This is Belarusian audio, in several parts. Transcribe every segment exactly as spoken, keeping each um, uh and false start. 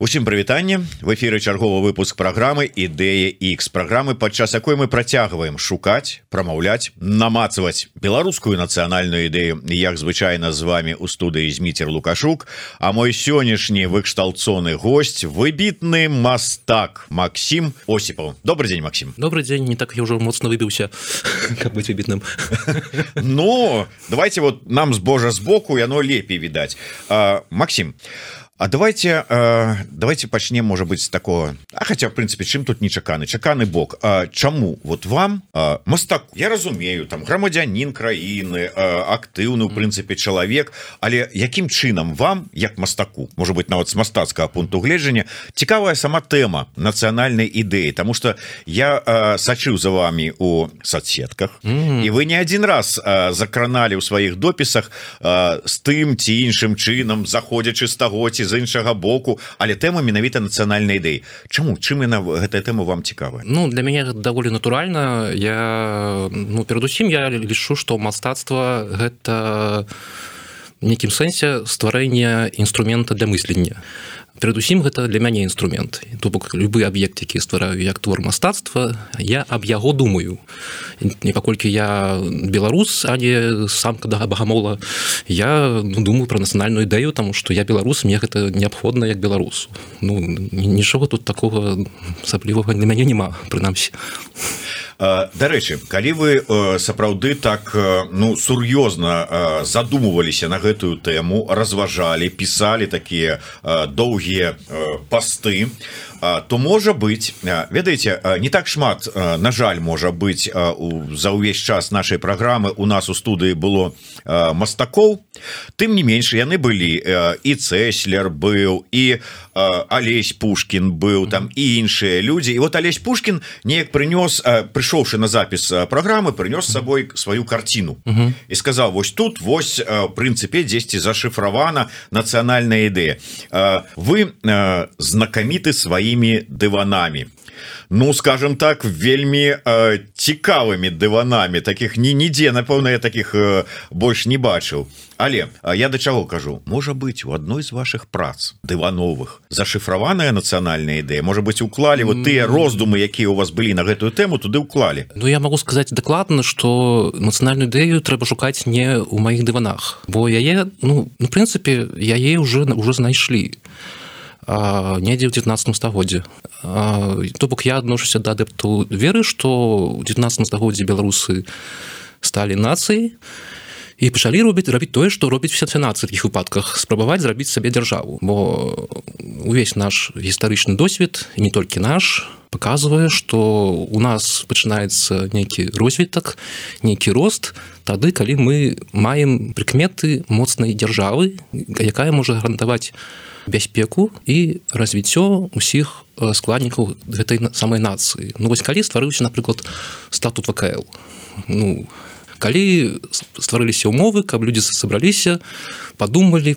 Усім прывітанне, в эфіры чарговы выпуск праграмы Ідэя Х, праграмы, падчас якой мы працягваем шукаць, прамаўляць, намацаваць беларускую нацыянальную ідэю. Як звычайна з вами у студыі Зміцер Лукашук, а мой сённяшні выкшталцоны гость, выбітны мастак Максим Осипов. Добрый день, Максим. Добрый день, не так я уже моцна выбіўся, каб быць выбітным. Ну, давайте вот нам с божа сбоку, яно лепей видать. А, Максим, А давайте э, давайте пачнем, может быть, с такого. А хотя, в принципе, чым тут нечаканы чаканы бок. А, чаму вот вам а, мастаку, я разумею, там грамадзянін краіны, а, актыўны, в принципе, чалавек, але якім чынам вам, як мастаку, может быть, нават з мастацкага пункту гледжання, цікавая сама тэма нацыянальнай ідэі, тому что я а, сачыў за вами у соцсетках, mm-hmm. і вы не один раз а, закраналі ў сваіх допісах а, з тым ці іншым чынам, заходзячы з таго ці з іншага боку, але тэма менавіта нацыянальнай ідэі. Чаму? Чым яна, гэтая тэма вам цікавая? Ну, для мяне даволі натуральна. Я, ну, перадусім я лічу, што мастацтва гэта в нейкім сэнсе стварэнне інструмента для мыслення. Перадусім гэта для мяне інструмент. То бок любы аб'ект, які ствараю як твор мастацтва, я аб яго думаю. Не паколькі я беларус, а не самка да багамола, я ну, думаю пра нацыянальную ідэю, таму што я беларус, мне гэта неабходна як беларусу. Ну, нічога тут такога асаблівага для мяне няма, прынамсі. Дарэчы, калі вы сапраўды так ну сур'ёзна задумываліся на гэтую тэму, разважалі, пісалі такія доўгія пасты, то можа быць, ведаеце, не так шмат, на жаль, можа быць, за ўвесь час нашай праграмы у нас у студыі было мастакоў, тым не менш яны былі, і Цэслер быў, і Алесь Пушкін быў, там і іншыя людзі. І вот Алесь Пушкін неяк прынёс, прыйшоўшы на запіс праграмы, прынёс з сабой сваю карціну uh-huh. і сказаў, вось тут, вось, в прынцыпе, дзесьці зашыфравана нацыянальная ідэя. Вы знакаміты сваімі дыванамі. Ну, скажем так, вельмі э, цікавымі дыванамі, таких ні нідзе, напэўна, я таких э, больш не бачыў. Але э, я да чаго кажу, можа быць, у адной з вашых прац дывановых зашыфраваная нацыянальная ідэя, можа быць, уклалі вот тыя роздумы, якія у вас былі на гэтую тэму, туды уклалі. Ну, я могу сказаць дакладна, што нацыянальную ідэю трэба шукаць не ў маіх дыванах, бо яе, ну, в прынцыпе, яе ўжо ўжо знайшлі. Недзе ў дзевятнаццатым стагоддзі. То бок я адношуся да адэптаў веры, што ў дзевятнаццатым стагоддзі беларусы сталі нацыяй і пачалі робіць рабіць тое, што робіць усе нацыі ў такіх выпадках, спрабаваць зрабіць сабе дзяржаву. Бо увесь наш гістарычны досвед, і не толькі наш, паказвае, што у нас пачынаецца нейкі розвітак, нейкі рост тады, калі мы маем прыкметы моцнай дзяржавы, якая можа гарантаваць бяспеку і развіццё усіх складнікаў гэтай самай нацыі. Ну, вось калі стварыўся, напрыклад, статут вэ ка эл, ну, калі стварыліся ўмовы, каб людзі сабраліся, падумалі,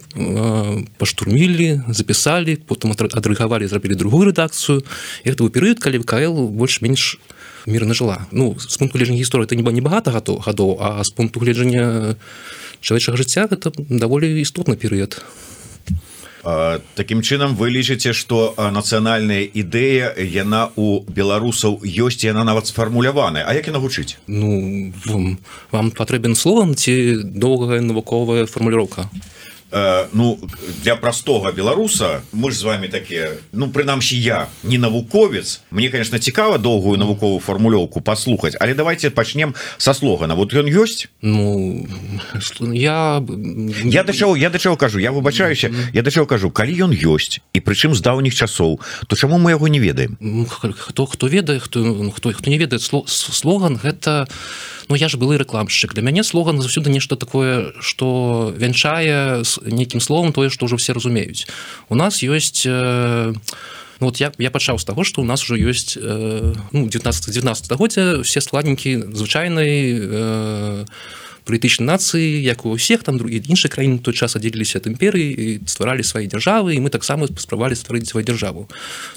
паштурмілі, запісалі, потым адрэагавалі, зрабілі другую рэдакцыю, і гэта быў перыяд, калі вэ ка эл больш-менш мірна жыла. Ну, з пункту гледжання гісторыі это не багата гадоў, а з пункту гледжання чалавечага жыцця гэта даволі істотны перыяд. Такім чынам вы лічыце, што нацыянальная ідэя, яна у беларусаў ёсць, яна нават сфармуляваная. А як яна гучыць? Ну, вам, вам патрэбен слоган ці доўгая навуковая фармуліроўка? Э, ну, для простого беларуса, мы ж з вами такія, ну, прынамсі я не навуковец, мне, конечно, цікава доўгую навуковую фармулёўку паслухаць, але давайте пачнем са слогана. Вот ён ёсць? Ну, я... Я да чаго, я да чаго кажу, я выбачаюся, я да чаго кажу, калі ён ёсць, і прычым з даўніх часоў, то чаму мы яго не ведаем? Хто, хто ведае, хто, хто, хто не ведае, слоган гэта... Ну, я ж былы рэкламшчык. Для мяне слоган заўсёды нешта такое, што вянчае нейкім словам тое, што ўжо все разумеюць. У нас ёсць... Э, ну, вот я, я пачаў з таго, што у нас ужо ёсць э, ну, дзевятнаццатае стагоддзя, все складнікі звычайнай э, палітычнай нацыі, як у ўсіх, там другія іншыя краіны той час аддзеліліся ад імперыі і стваралі свае дзяржавы, і мы таксама спрабавалі стварыць сваю дзяржаву.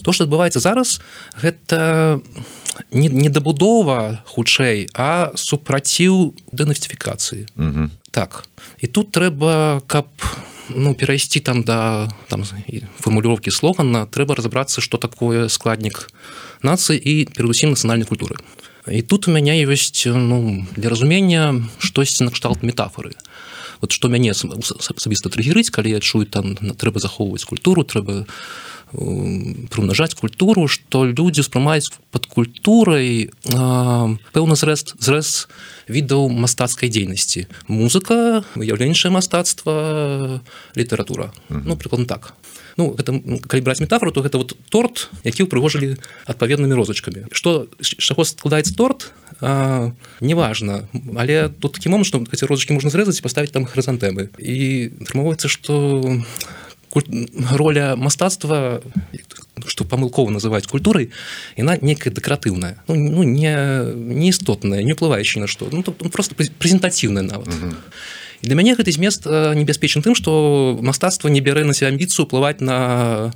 То, што адбываецца зараз, гэта не, не дабудова хутчэй, а супраціў дэнацыфікацыі. Угу. Так. І тут трэба, каб ну, перайсці там да там фармулёўкі слогана, трэба разабрацца, што такое складнік нацыі і перадусім нацыянальнай культуры. І тут у мяне ёсць, ну, для разумення штосьці накшталт метафоры. Вот што мяне асабіста трыгерыць, калі я чую, там трэба захоўваць культуру, трэба прымнажаць культуру, што людзі ўспрымаюць пад культурай пэўны зрэз, зрэз відаў мастацкай дзейнасці. Музыка, выяўленчае мастацтва, літаратура. Ну, прыкладна так. Ну, гэта, калі браць метафору, то гэта вот торт, які ўпрыгожылі адпаведнымі розачкамі. Што, з чаго складаецца торт, а, неважна. Але тут такі момант, што эти розачкі можна зрэзаць і паставіць там хрызантэмы. І атрымоўваецца, што роля мастацтва, што памылкова называюць культурай, яна некая дэкаратыўная, ну, ну не, не істотная, не ўплываючая на што, ну, просто прэзентацыйная нават. Uh-huh. І для мяне гэты змест небяспечны тым, што мастацтва не бярэ на сябе амбіцыю ўплываць на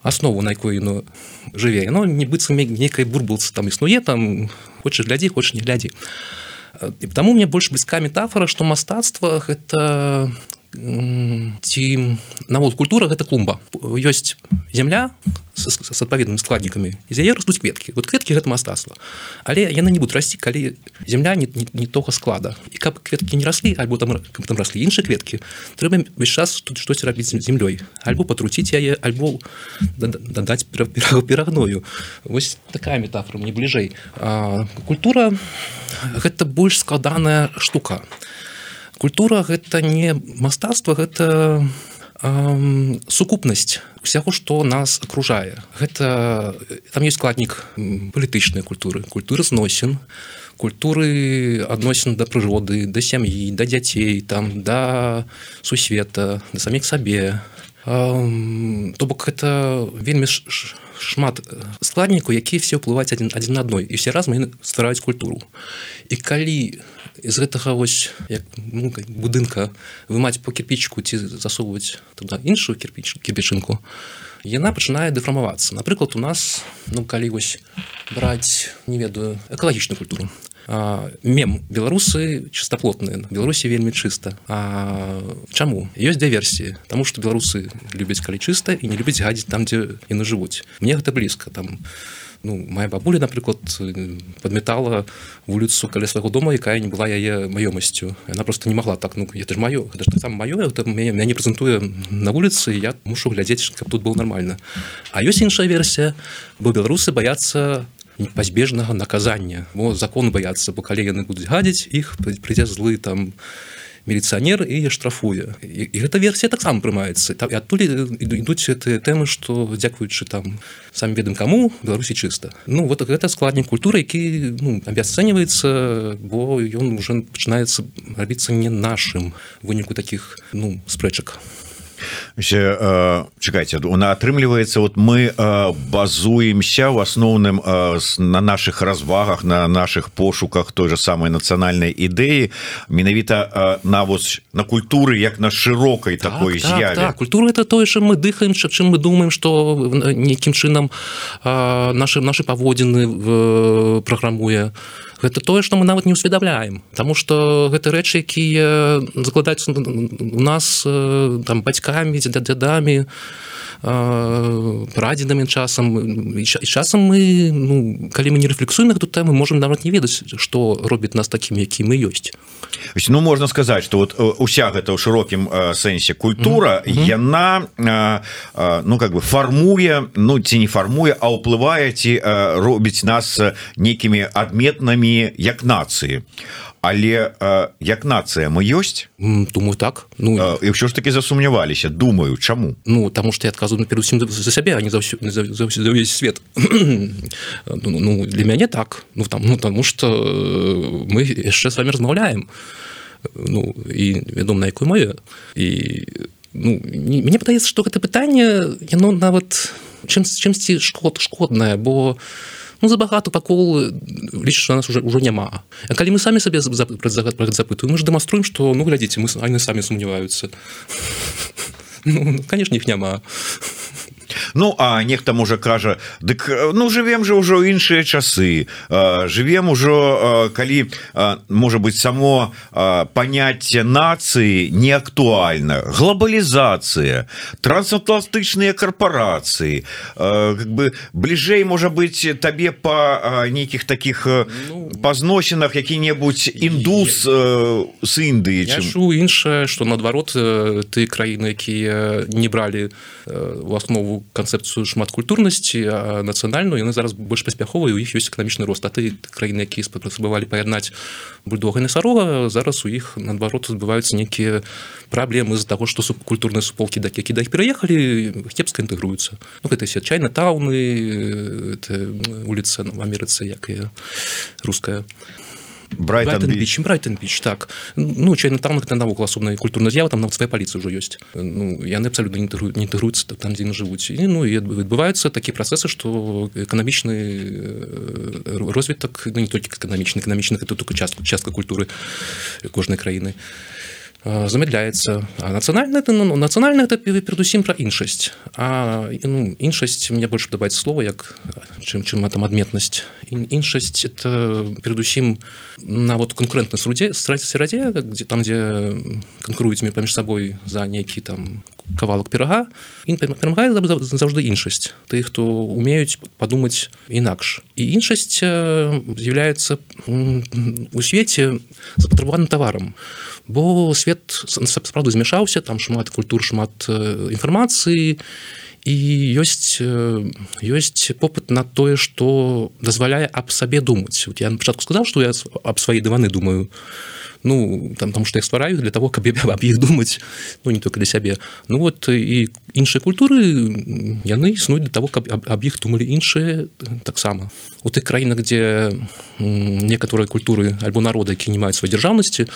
аснову, на якой яно жыве. Яно не быццам нейкай бурбалцы там існуе, там хочаш глядзі, хочаш не глядзі. І таму мне больш блізка метафора, што мастацтва гэта ці нават культура гэта клумба. Ёсць зямля з, з адпаведнымі складнікамі, і з яе растуць кветкі. Вот кветкі гэта мастацтва. Але яны не будуць расці, калі зямля не, не, не того склада. І каб кветкі не раслі, альбо там, каб там раслі іншыя кветкі, трэба ўвесь час тут штось рабіць з зямлёй. Альбо патруціць яе, альбо дадаць перагною. Вось такая метафора мне бліжэй. А культура гэта больш складаная штука. Культура гэта не мастацтва, гэта э, сукупнасць усяго, што нас акружае. Гэта там ёсць складнік палітычнай культуры, культуры зносін, культуры адносін да прыроды, да сям'і, да дзяцей, там, да сусвета, да саміх сабе. Э, то бок гэта вельмі шмат складнікаў, якія все ўплываюць адзін, адзін на адной, і все разам яны ствараюць культуру. І калі з гэтага вось як, ну, будынка вымаць по кірпічку ці засоўваць туды іншую кірпіч, кірпічынку, яна пачынае дэфармавацца. Напрыклад, у нас, ну, калі вось браць, не ведаю, экалагічную культуру. А, мем. Беларусы чыстоплотныя. Беларусі вельмі чыста. А чаму? Ёсць дзве версіі. Таму што беларусы любяць, калі чыста, і не любяць гадзіць там, дзе яны жывуць. Мне гэта блізка. Там, ну, моя бабуля, напрыклад, падметала вуліцу каля свайго дома, якая не была яе маёмасцю. Яна просто не могла так, ну, это ж маё, гэта ж таксама маё, гэта мяне прэзентуе на вуліцы, я мушу глядзець, каб тут было нормально. А ёсць іншая версія, бо беларусы баяцца пазбежнага наказання, бо закон баяцца, бо калі яны будуць гадзіць, іх прыйдзе злы там міліцыянер і штрафуе. І, і гэта версія таксама прымаецца. І адтуль ідуць гэтыя тэмы, што дзякуючы там самі ведам каму, Беларусі чыста. Ну, вот гэта складнік культуры, які, ну, абясцэньваецца, бо ён уже пачынаецца рабіцца не нашым выніку такіх, ну, спрэчак. Чакайце, атрымліваецца, вот мы базуемся в асноўным на наших развагах, на наших пошуках той же самой нацыянальнай ідэі, менавіта на вось на культуры як на шырокай так, такой так, з'яве. Так, культура это тое, чым мы дыхаем, чым мы думаем, што нейкім чынам наши, наши паводзіны праграмуе. Гэта тое, што мы нават не ўсведамляем, таму што гэта рэчы, якія закладаюцца у нас там бацькамі, дзядамі, прадзедамі часам. І часам мы, ну, калі мы не рэфлексуем на гэту тэму, можам нават не ведаць, што робіць нас такім, які мы ёсць. Ну, можна сказаць, што вот уся гэта ў шырокім сэнсе культура, mm-hmm. яна, ну, как бы фармуе, ну, ці не фармуе, а ўплывае, ці робіць нас нейкімі адметнымі як нацыі. Але як нацыя мы ёсць? Думаю, так. Ну, і ўсё ж таки засумняваліся. Думаю, чаму? Ну, таму што я адказваю перадусім за сябе, а не за, ўсё, за, за, за ўвесь свет. Ну, для мяне так. Ну, там, ну, таму што мы яшчэ з вами размаўляем. Ну, і вядома, на якой мове. І, ну, мне падаецца, што гэта пытанне, яно нават чым, чымсьці шкод, шкоднае, бо ну, забагато пакол лічыць, што нас уже, уже няма. А калі мы самі сабе запытуем, мы ж дэманструем, што, ну, глядзіце, мы самі сумняваюцца. Ну, конечно, іх няма. Ну а нехта можа кажа, дык ну живем же ўжо іншыя часы, живем ужо калі можа быть само паняцце нацыі не актуальна, глобалізацыя, трансатлантычныя корпорацыі, как бы бліжэй можа быть табе по нейкіх таких ну, пазносінах які-небудзь індус з Індыі. Я чу іншае, што наадварот ты краіны, якія не бралі у аснову канцэпцыю шматкультурнасці, а нацыянальную, яны зараз больш паспяховыя, у іх ёсць эканамічны рост. А ты краіны, якія спрабавалі паяднаць бульдога і насарога, зараз у іх наадварот адбываюцца нейкія праблемы з-за таго, што субкультурныя суполкі, які да іх пераехалі, кепска інтэгруюцца. Ну, гэта все Чайна-тауны, улица в Америце, як і руская. Брайтон-Біч. Брайтон-Біч, так. Ну, Чайна-таун — гэта навокал асобная культурная з'ява, там нават свая паліцыя ўжо ёсць. Ну, яны абсалютна не інтэгруюцца там, дзе яны жывуць. І, ну, і адбываюцца такія працэсы, што эканамічны розвітак, ну, не толькі эканамічны, эканамічны — гэта толькі частка, частка культуры кожнай краіны, замедляецца. А нацыянальна это, ну, нацыянальна это перадусім пра іншасць. А ну, іншасць, мне больш падабаецца слова, як чым чым там адметнасць. Іншасць это перадусім на вот канкурэнтнай среде, среде, где там, дзе канкуруюць паміж сабой за нейкі там кавалак пірага, і перамагае заўжды іншасць. Тых, хто умеюць падумаць інакш. І іншасць з'яўляецца у свеце запатрабаваным таварам. Бо свет сапраўды змяшаўся, там шмат культур, шмат інфармацыі, і ёсць, ёсць попыт на тое, што дазваляе аб сабе думаць. Вот я на пачатку сказаў, што я аб свае дываны думаю, ну, там, там, што я ствараю для того, каб аб іх думаць, ну, не толькі для сябе. Ну, вот, і іншыя культуры, яны існуюць для того, каб аб, аб іх думалі іншыя таксама. У тых краінах, дзе некаторыя культуры альбо народы, якія не маюць сваёй дзяржаўнасці,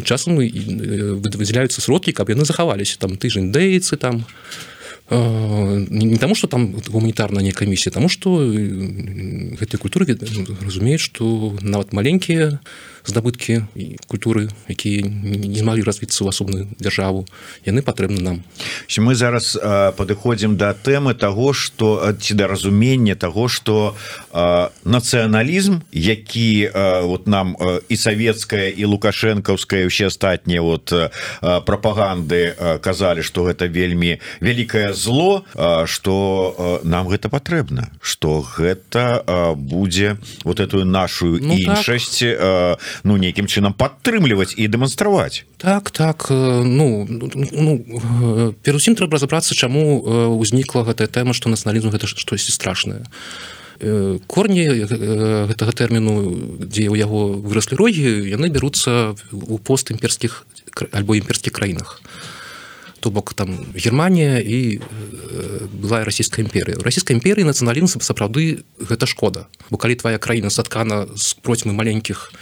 часам выдзяляюцца сродкі, каб яны захаваліся. Там ты ж індейцы, там, не таму, што там гуманітарная нейкая місія, таму, што гэтыя культуры разумеюць, што нават маленькія здабыткі і культуры, якія не змаглі развіцца ў асобную дзяржаву, яны патрэбны нам. Мы зараз падыходзім да тэмы таго, што ці да разумення таго, што нацыяналізм, які вот нам і савецкая, і лукашэнкаўская, і ўсе астатнія вот прапаганды казалі, што гэта вельмі вялікае зло, што нам гэта патрэбна, што гэта будзе вот эту нашу ну, іншасць так. Ну, нейкім чынам падтрымліваць і дэманстраваць. Так, так. Ну, ну перусім трэба разабрацца, чаму ўзнікла гэтая тэма, што нацыяналізм гэта штосьці страшнае. Корні гэтага тэрміну, дзе ў яго выраслі рогі, яны бяруцца ў постімперскіх альбо імперскіх краінах. То бок там Германія і былая расійская імперія. У расійскай імперіі нацыяналізм сапраўды гэта шкода. Бо калі твая краіна саткана з процьмы маленькіх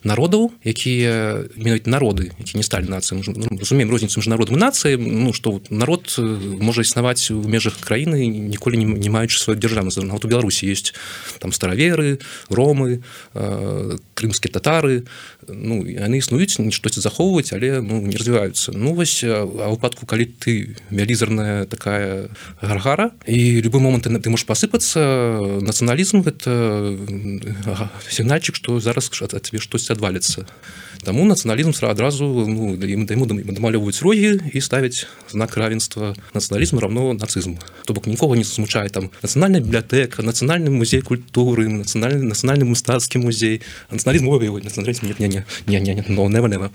народаў, якія менавіта народы, які не сталі нацыямі. Ну, разумеем розніцу між народам і нацыяй, ну, што народ можа існаваць у межах краіны, ніколі не, не маючы сваю дзяржаўнасць. Нават у Беларусі ёсць там стараверы, ромы, э, крымскія татары. Ну, яны існуюць, штосьці захоўваць, але ну, не развіваюцца. Ну, вось, а ў выпадку, калі ты вялізарная такая гаргара, і любы момант ты, ты можаш пасыпацца, нацыяналізм — гэта сігнальчык, што зараз ад тебе штосьці адваліцца. Таму нацыяналізм адразу ну, яму дамалёўваюць рогі і ставяць знак равенства нацыяналізм равно нацызм. То бок нікога не засмучае там нацыянальная бібліятэка, нацыянальны музей культуры, нацыянальны, нацыянальны мастацкі музей. А нацыяналізм ой, ой, нацыяналізм не, не, не, не, не, не, no, never, never.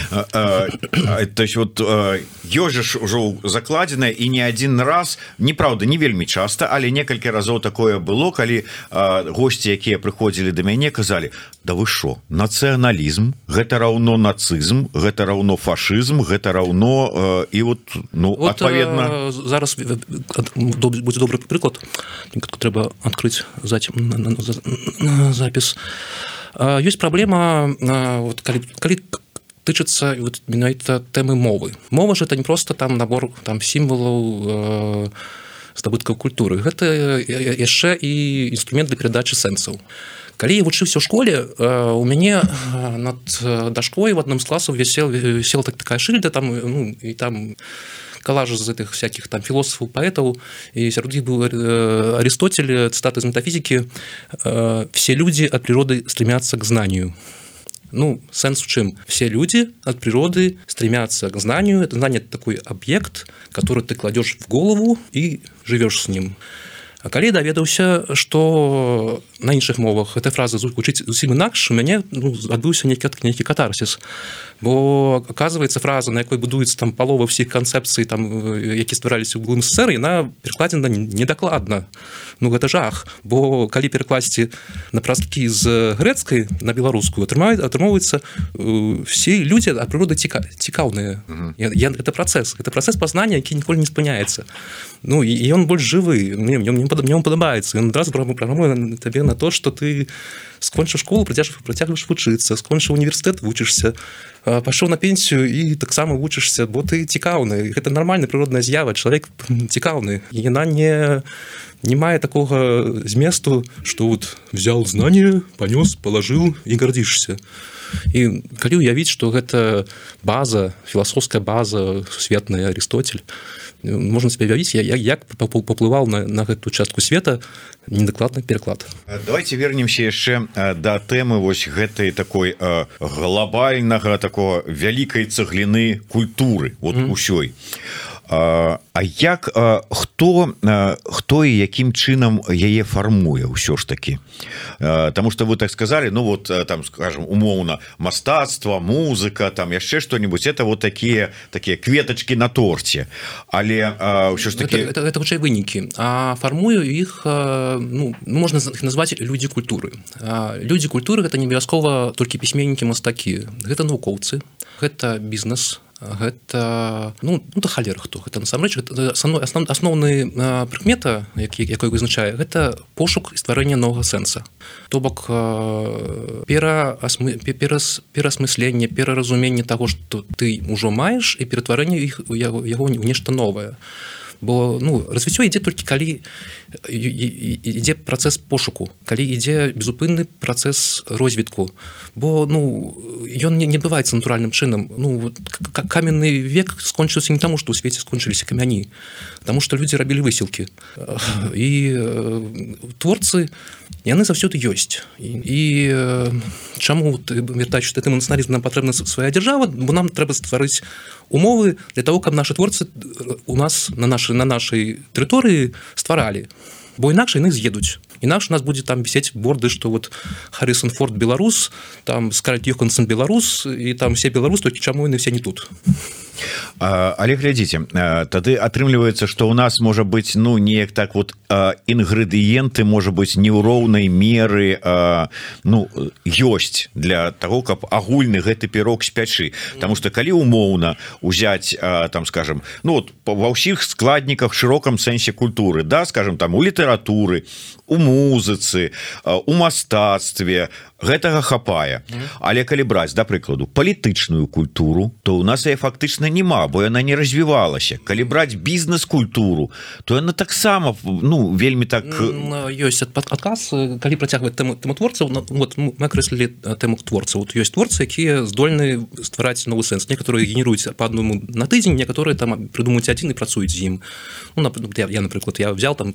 То есть вот ёжыш ужо закладзена і не адзін раз, неправда, не вельмі часта, але некалькі разоў такое было, калі госці, якія прыходзілі да мяне, казалі: да вы шо, нацыяналізм гэта раўно нацызм, гэта раўно фашызм, гэта раўно і вот ну вот, адпаведна зараз будзе добры прыклад, трэба адкрыць запіс. Ёсць праблема, вот, калі, калі тычыцца вот, менавіта тэмы мовы. Мова ж это не просто там набор там сімвалаў э, здабыткаў культуры. Гэта яшчэ і інструмент для перадачы сэнсаў. Калі я вучыўся ў школе, э, у мяне над дашкой в адным з класаў вісела, вісела так, такая шыльда, там, ну, і там калаж з гэтых всяких там філосафаў, паэтаў, і сярод іх быў Аристотель, цитата из метафизики: «Все люди от природы стремятся к знанию». Ну, сенс в чем? Все люди от природы стремятся к знанию. Это знание – это такой объект, который ты кладешь в голову и живешь с ним. А калі даведаўся, што на іншых мовах эта фраза гучыць зусім інакш, у мяне ну, адбыўся нейкі, нейкі катарсіс. Бо, оказывается, фраза, на якой будуецца там палова ўсіх канцэпцый, там, які ствараліся ў былым СССР, яна перакладзена недакладна. Ну, гэта жах. Бо калі перакласці на прасткі з грэцкай на беларускую, атрымоўваецца все людзі ад прыроды ціка, цікаўныя. Uh-huh. Я, это працэс. Это працэс пазнання, які ніколі не спыняецца. Ну, і ён больш жывы. Мне, мне, мне он падабаецца. Ён адразу праграмуе табе на то, што ты скончыў школу, працягваеш вучыцца, скончыў універсітэт, вучышся, пашоў на пенсію і таксама вучышся, бо ты цікаўны. Гэта нармальная прыродная з'ява, чалавек цікаўны. І яна не, не мае такога зместу, што вот взял знание, панёс, палажыў і гардзішся. І калі ўявіць, што гэта база, філасофская база сусветная Аристотель, можна себе уявіць, як, як паплываў на, на гэту частку света недакладны пераклад. Давайте вернемся яшчэ да тэмы вось гэтай такой глобальнага такого вялікай цагліны культуры вот mm-hmm. усёй. А як хто хто і якім чынам яе фармуе ўсё ж таки, потому что вы так сказали, ну вот там скажем умоўна мастацтва, музыка, там яшчэ что-нибудь, это вот такие такие кветочки на торце, але ўсё ж таки это, это, это хутчэй вынікі, а фармую іх ну, можна іх назваць людзі культуры. Людзі культуры гэта не абавязкова толькі пісьменнікі, мастакі, гэта навукоўцы, гэта бізнес, гэта ну, ну да халера хто гэта насамрэч основ, асноўны прыкмета, які якой вызначае, гэта пошук і стварэнне новага сэнса, то бок пераасмы, перас, пераасмысленне, пераразуменне таго, што ты ўжо маеш, і ператварэнне іх яго, яго ў нешта новае. Бо ну, развіццё ідзе толькі калі ідзе працэс пошуку, калі ідзе безупынны працэс розвітку. Бо ну, ён не, не бываецца натуральным чынам. Ну, каменны век скончыўся не таму, што ў свеце скончыліся камяні, таму што людзі рабілі высілкі. І творцы, яны заўсёды ёсць. І, і чаму вяртаючыся да тэмы нацыяналізму, нам патрэбна свая дзяржава, бо нам трэба стварыць умовы для того, каб нашы творцы у нас на нашай на нашай тэрыторыі стваралі, бо інакш яны з'едуць. Інакш у нас будзе там вісець борды, што вот Харрісон Форд беларус, там Скарлетт Йоханссон беларус, і там все беларус, толькі чаму яны все не тут. Але глядзіце, тады атрымліваецца, што ў нас можа быць ну неяк так вот інгрэдыенты можа быць не ў роўнай меры ну ёсць для того, каб агульны гэты пірог спячы. Таму што калі умоўна узяць там скажем ну вот ва ўсіх складніках шырокам сэнсе культуры, да, скажем там у літаратуры, у музыцы, у мастацтве гэтага хапае. Але калі браць да прыкладу палітычную культуру, то у нас яе фактычна няма, бо яна не развівалася. Калі браць бізнес-культуру, то яна таксама ну вельмі так ёсць адказ, калі працягваць тэму творцаў. Вот мы акрэслілі тэму творцаў. Вот ёсць творцы, якія здольны ствараць новы сэнс. Некаторыя генеруюць па аднаму на тыдзень, некаторыя там прыдумаюць адзін і працуюць з ім. Ну, я, я напрыклад, я взял там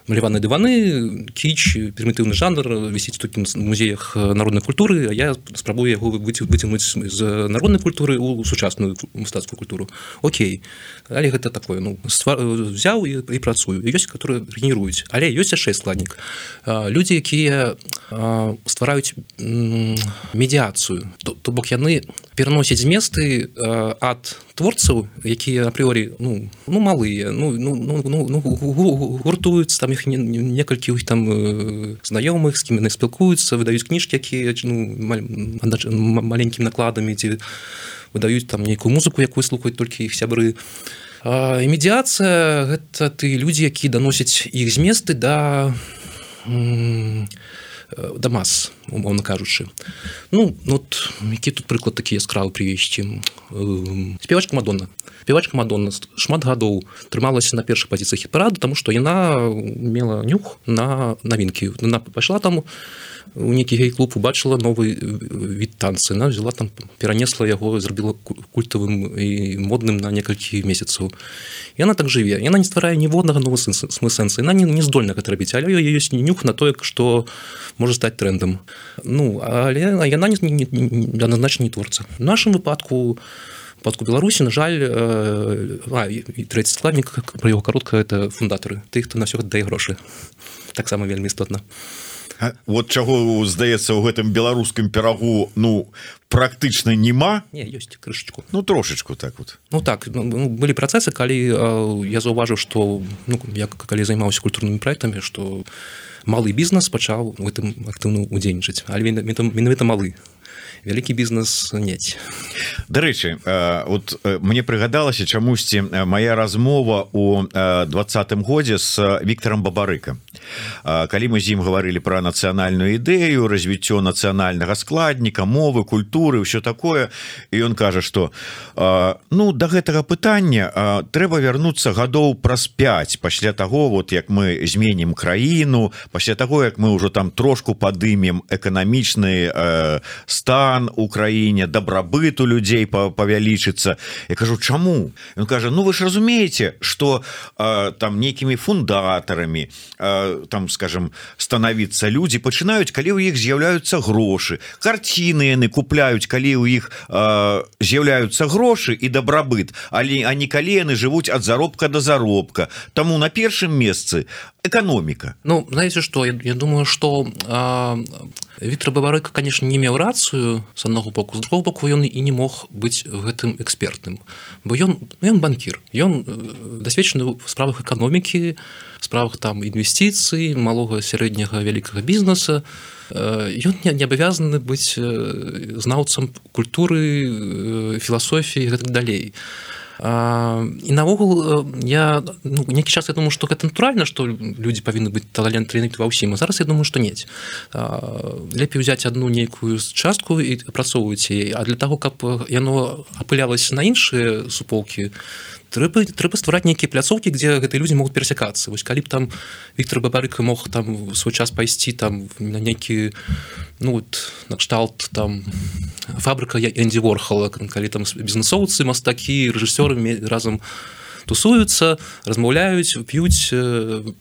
маляваныя дываны, кіч, прымітыўны жанр вісіць тут в музеях народнай культуры, а я спрабую яго выцягнуць з народнай культуры ў сучасную мастацкую культуру. Окей, але гэта такое ну взяў і, і працую. Ёсць, которые генеруюць, але ёсць яшчэ складнік. Людзі, якія ствараюць медыяцыю, то, то бок яны пераносяць зместы ад творцаў, якія апрыорі ну, ну малыя, ну, ну, ну, ну гуртуюцца, там іх некалькі іх там знаёмых, з кім яны спілкуюцца, выдаюць кніжкі, якія ну, маленькімі накладамі, ці выдаюць там нейкую музыку, якую слухаюць толькі іх сябры. І медыяцыя гэта ты людзі, якія даносяць іх зместы да да мас, умоўна кажучы. Ну, от, які тут прыклад такі яскравы прывесці. Спевачка Мадонна. Спевачка Мадонна шмат гадоў трымалася на першых пазіцыях хіт-параду, таму што яна мела нюх на навінкі. Яна пайшла там у нейкі гей-клуб убачыла новы від танцы, она взяла там, перанесла яго, зрабіла культавым і модным на некалькі месяцаў. І она так жыве. Яна не стварае ніводнага новага сэнса. Яна не, не здольна гэта рабіць, але ёсць нюх на тое, што можа стаць трэндам. Ну, але яна не, не, не, адназначна не творца. В нашым выпадку выпадку Беларусі, на жаль, а, і трэці складнік, пра яго каротка, это фундатары, тых, хто на ўсё дае грошы. Таксама вельмі істотна. Вот чаго, здаецца, у гэтым беларускім пірагу, ну, практычна няма? Не, ёсць крышачку. Ну, трошечку так вот. Ну, так, ну, былі працэсы, калі э, я заўважыў, што, ну, я калі займаўся культурнымі праектамі, што малы бізнес пачаў у гэтым актыўна удзельнічаць, але менавіта малы. Вялікі бізнес нець. Дарэчы, вот мне прыгадалася чамусьці моя размова у двадцатым годзе з Віктарам Бабарыкам. Калі мы з ім гаварылі пра нацыянальную ідэю, развіццё нацыянальнага складніка, мовы, культуры, ўсё такое, і ён кажа, што ну, да гэтага пытання трэба вярнуцца гадоў праз пяць пасля таго, вот як мы зменім краіну, пасля таго, як мы ўжо там трошку падымем эканамічны стан у краіне, дабрабыт у людзей павялічыцца. Я кажу, чаму? Ён кажа, ну вы ж разумееце, што э, там нейкімі фундатарамі э, там, скажем, станавіцца людзі пачынаюць, калі ў іх з'яўляюцца грошы. Карціны яны купляюць, калі ў іх э, з'яўляюцца грошы і дабрабыт, але а не калі яны жывуць ад заробка да заробка. Таму на першым месцы эканоміка. Ну, знаете что, я, я думаю, что э, Віктор Бабарыка, конечно, не меў рацыю з аднаго боку, з другого боку ён і не мог быць гэтым экспертным, бо ён, ён банкір, ён дасведчаны ў справах эканомікі, справах там інвестыцый, малога, сярэдняга, вялікага бізнеса. Ён не, не абавязаны быць знаўцам культуры, філасофіі і гэтак далей. І наогул я ну, нейкі час я думаю, што гэта натуральна, што людзі павінны быць таленты ва ўсім, а зараз я думаю, што нець. Лепей узяць адну нейкую частку і апрацоўваць яе, а для таго, каб яно апылялася на іншыя суполкі, трэба, трэба ствараць нейкія пляцоўкі, дзе гэтыя людзі могуць перасякацца. Вось калі б там Віктор Бабарыка мог там свой час пайсці там на нейкі ну вот накшталт там фабрыка Энді Ворхола, калі там бізнесоўцы, мастакі, рэжысёры разам тусуюцца, размаўляюць, п'юць,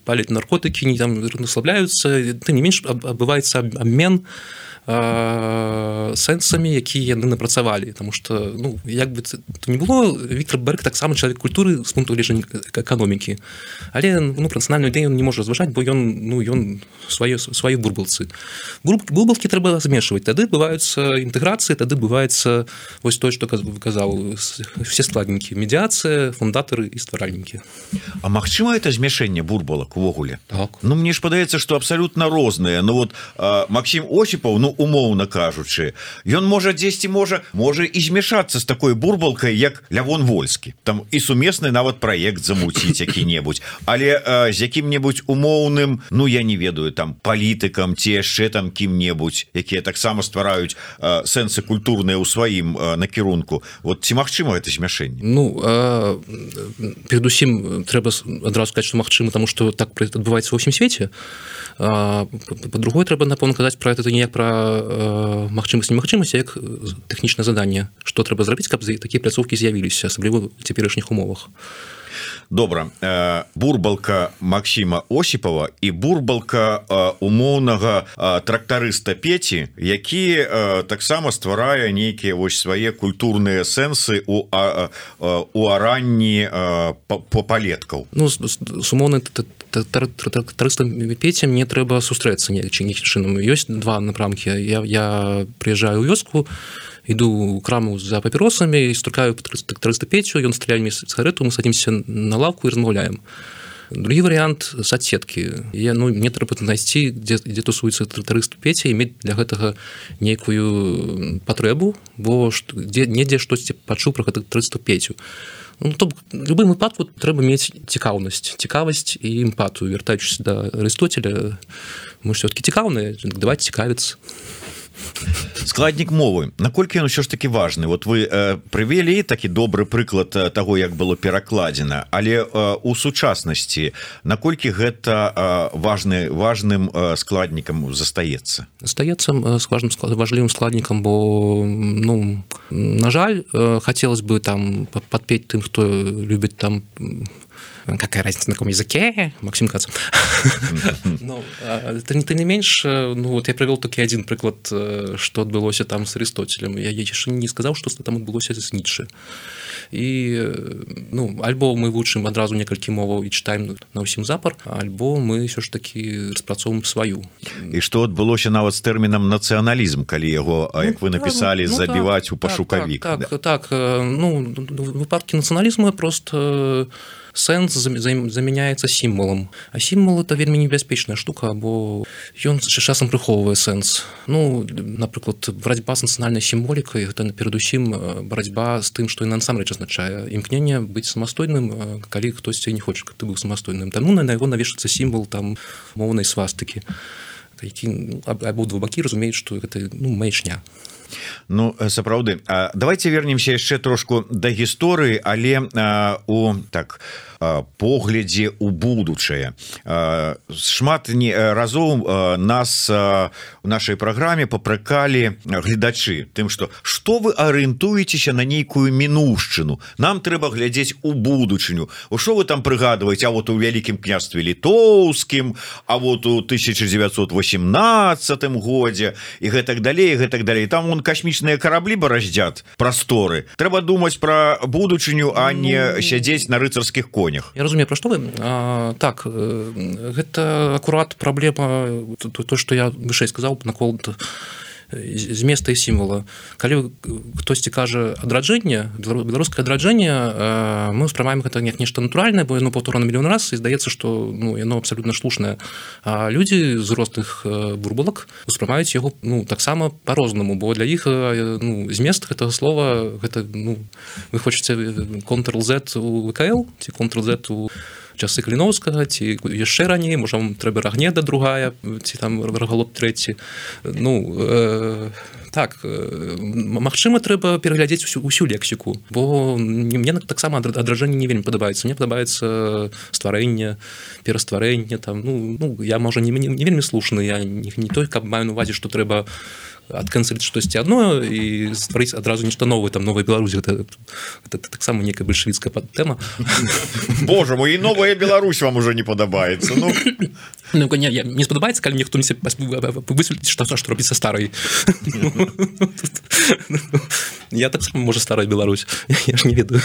паляць наркотыкі, не там расслабляюцца, тым не менш адбываецца абмен сэнсамі, якія яны напрацавалі, тому што ну як бы то не было, Віктор Бабарыка таксама чалавек культуры з пункту гледжання эканомікі, але ну пра нацыянальную ідэю ён не можа разважаць, бо ён ну ён свае свае бурбалцы. Бурбалкі трэба змешваць, тады адбываюцца інтэграцыі, тады адбываецца вось тое, што казаў, все складнікі, медыяцыя, фундатары і стваральнікі. А магчыма это змяшэнне бурбалак увогуле? Так. Ну мне ж падаецца, што абсалютна розныя. Ну вот Максім Осіпаў, ну умоўна кажучы, ён можа дзесьці можа можа і змяшацца з такой бурбалкай, як Лявон Вольскі, там і сумесны нават праект замуціць які-небудзь, але а, з якім-небудзь умоўным, ну я не ведаю, там палітыкам ці яшчэ там кім-небудзь, якія таксама ствараюць а, сэнсы культурныя ў сваім а, накірунку. Вот ці магчыма гэта змяшэнне? Ну а, перадусім трэба адразу сказаць, што магчыма, таму што так адбываецца ва ўсім свеце. А, па-другое, трэба напэўна казаць пра гэта не як пра магчымасць немагчымасць, як тэхнічнае заданне, што трэба зрабіць, каб такія пляцоўкі з'явіліся, асабліва ў цяперашніх умовах. Добра, бурбалка Максіма Осіпава і бурбалка умоўнага трактарыста Пеці, які таксама стварае нейкія вось свае культурныя сэнсы у, у аранні палеткаў. Ну, з умоўнай трактарыстам Пеці мне трэба сустрэцца нейкім чынам. Ёсць два напрамкі. Я, я прыязджаю ў вёску, иду у краму за папіросамі і стукаю трактарыста Пецю, ён стреляе мне сигарету, мы садимся на лавку і размаўляем. Другі варыянт соцсеткі. Я, ну, мне трэба знайсці, дзе, дзе тусуецца трактарыст Пеця, і мець для гэтага нейкую патрэбу, бо дзе, недзе штосьці пачуў пра трактарыста Пецю. Ну, то в любым выпадку трэба мець цікаўнасць, цікавасць і эмпатыю. Вяртаючыся да Арыстотеля, мы ж все-таки цікаўныя, давайте цікавіцца. Складнік мовы, наколькі ён ўсё ж таки важны? Вот вы э, прывялі такі добры прыклад таго, як было перакладзена, але э, у сучаснасці наколькі гэта э, важны важным э, складнікам застаецца? Застаецца важным важлівым складнікам, бо ну на жаль, э, хацелось бы там падпець тым, хто любіць там какая разница на каком языке, Максим Кац. Ну, ты, ты не менш, ну вот я привел таки один приклад, что отбылося там с Аристотелем. Я еще не сказал, что там отбылося с Ницше. И, ну, альбо мы вучым адразу некалькі моваў і читаем на ўсім запар, альбо мы все ж таки распрацоўваем сваю. І што адбылося нават з тэрмінам нацыяналізм, калі яго, ну, як вы написали, ну, забіваць так, у пашукавік. Так, так, да? так, ну, в выпадке нацыяналізму просто сэнс замяняецца сімвалам. А сімвал это вельмі небяспечная штука, бо ён часам прыхоўвае сэнс. Ну, напрыклад, барацьба з нацыянальнай сімволікай гэта перадусім барацьба з тым, што і насамрэч азначае імкненне быць самастойным, калі хтосьці не хоча, каб ты быў самастойным. Таму на яго навешаецца сімвал там моўнай свастыкі, які абодва бакі разумеюць, што гэта ну маячня. Ну, сапраўды, давайте вернемся яшчэ трошку да гісторыі, але у так поглядзе у будучае. Шмат разоў нас у нашай праграме папракалі гледачы тым, што што вы арыентуецеся на нейкую мінуўшчыну, нам трэба глядзець у будучыню. У што вы там прыгадваеце, а вот у вялікім княстве літоўскім, а вот у тысяча дзевяцьсот восемнадцатым годзе і гэтак далей, гэтак далей. Там вон касмічныя караблі бараздзят прасторы. Трэба думаць пра будучыню, а не сядзець на рыцарскіх конях. Я разумею, пра што вы. А, так, гэта акурат праблема, то, што я вышэй сказаў, наконт зместа і сімвала. Калі хтосьці кажа адраджэнне, беларускае адраджэнне, мы ўспрымаем гэта як нешта натуральнае, бо яно паўторана мільён раз, і здаецца, што ну, яно абсалютна слушнае. А людзі з розных бурбалак успрымаюць яго ну, таксама па-рознаму, бо для іх ну, змест гэтага слова, гэта, ну, вы хочаце контрл-Z у вэ ка эл ці контрл-Z у часы Каліноўскага, ці яшчэ раней, можа, вам трэба Рагнеда другая, ці там Рагалоп трэці. Ну, э, так, э, магчыма, трэба пераглядзець усю, усю лексіку, бо мне таксама адраджэнне не вельмі падабаецца. Мне падабаецца стварэнне, перастварэнне, там, ну, ну, я, можа, не, не, не вельмі слушны, я не, не той, каб маю на увазе, што трэба адканцэліць штосьці адно і стварыць адразу нешта новае, там новая Беларусь, гэта, гэта, гэта таксама некая бальшавіцкая тэма. Боже мой, і новая Беларусь вам уже не падабаецца. Ну, ну не, я, не спадабаецца, калі мне хто-нибудь высветліць, што, што робіць са старай. Я таксама, можа, старая Беларусь, я ж не ведаю.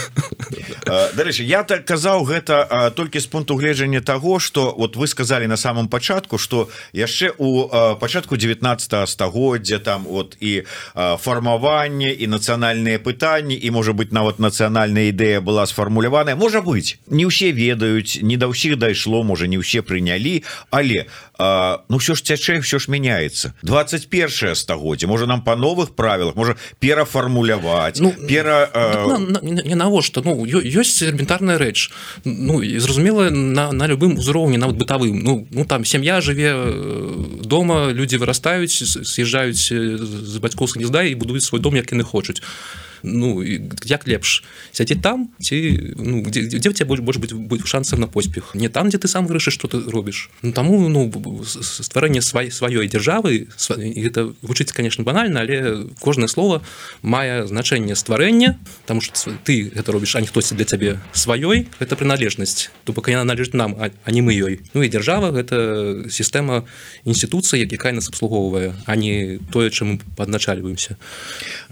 Дарэчы, я так казаў гэта толькі з пункту гледжання таго, што вот вы сказалі на самом пачатку, што яшчэ у пачатку дзевятнаццатага стагоддзя там вот і фармаванне і нацыянальныя пытанні і можа быть нават нацыянальная ідэя была сфармуляваная, можа быть, не ўсе ведаюць, не да ўсіх дайшло, можа не ўсе прынялі, але ну ўсё ж цячэ, ўсё ж мяняецца. двадцать першае стагоддзе, можа нам па новых правілах, можа перафармуляваць, ну, пера на, на, не навошта, ну ёсць элементарная рэч, ну зразумела на, на любым узроўні, нават бытавым, ну, ну там сям'я жыве дома, людзі вырастаюць, з'язджаюць з бацькоўскага гнезда і будуюць свой дом, як яны хочуць. Ну, як лепш сядзець там, ці ну, дзе, дзе у тебя больш будзе будзе шансаў на поспех, не там, дзе ты сам вырашыш, што ты робіш. Ну, таму ну, стварэнне свай, сваёй дзяржавы, і гэта гучыць, конечно, банальна, але кожнае слово мае значэнне стварэння, таму што ты гэта робіш, а не хтосьці для цябе сваёй, гэта прыналежнасць, то бок яна належыць нам, а, а не мы ёй. Ну і дзяржава гэта сістэма інстытуцый, якая нас абслугоўвае, а не тое, чым мы падначальваемся.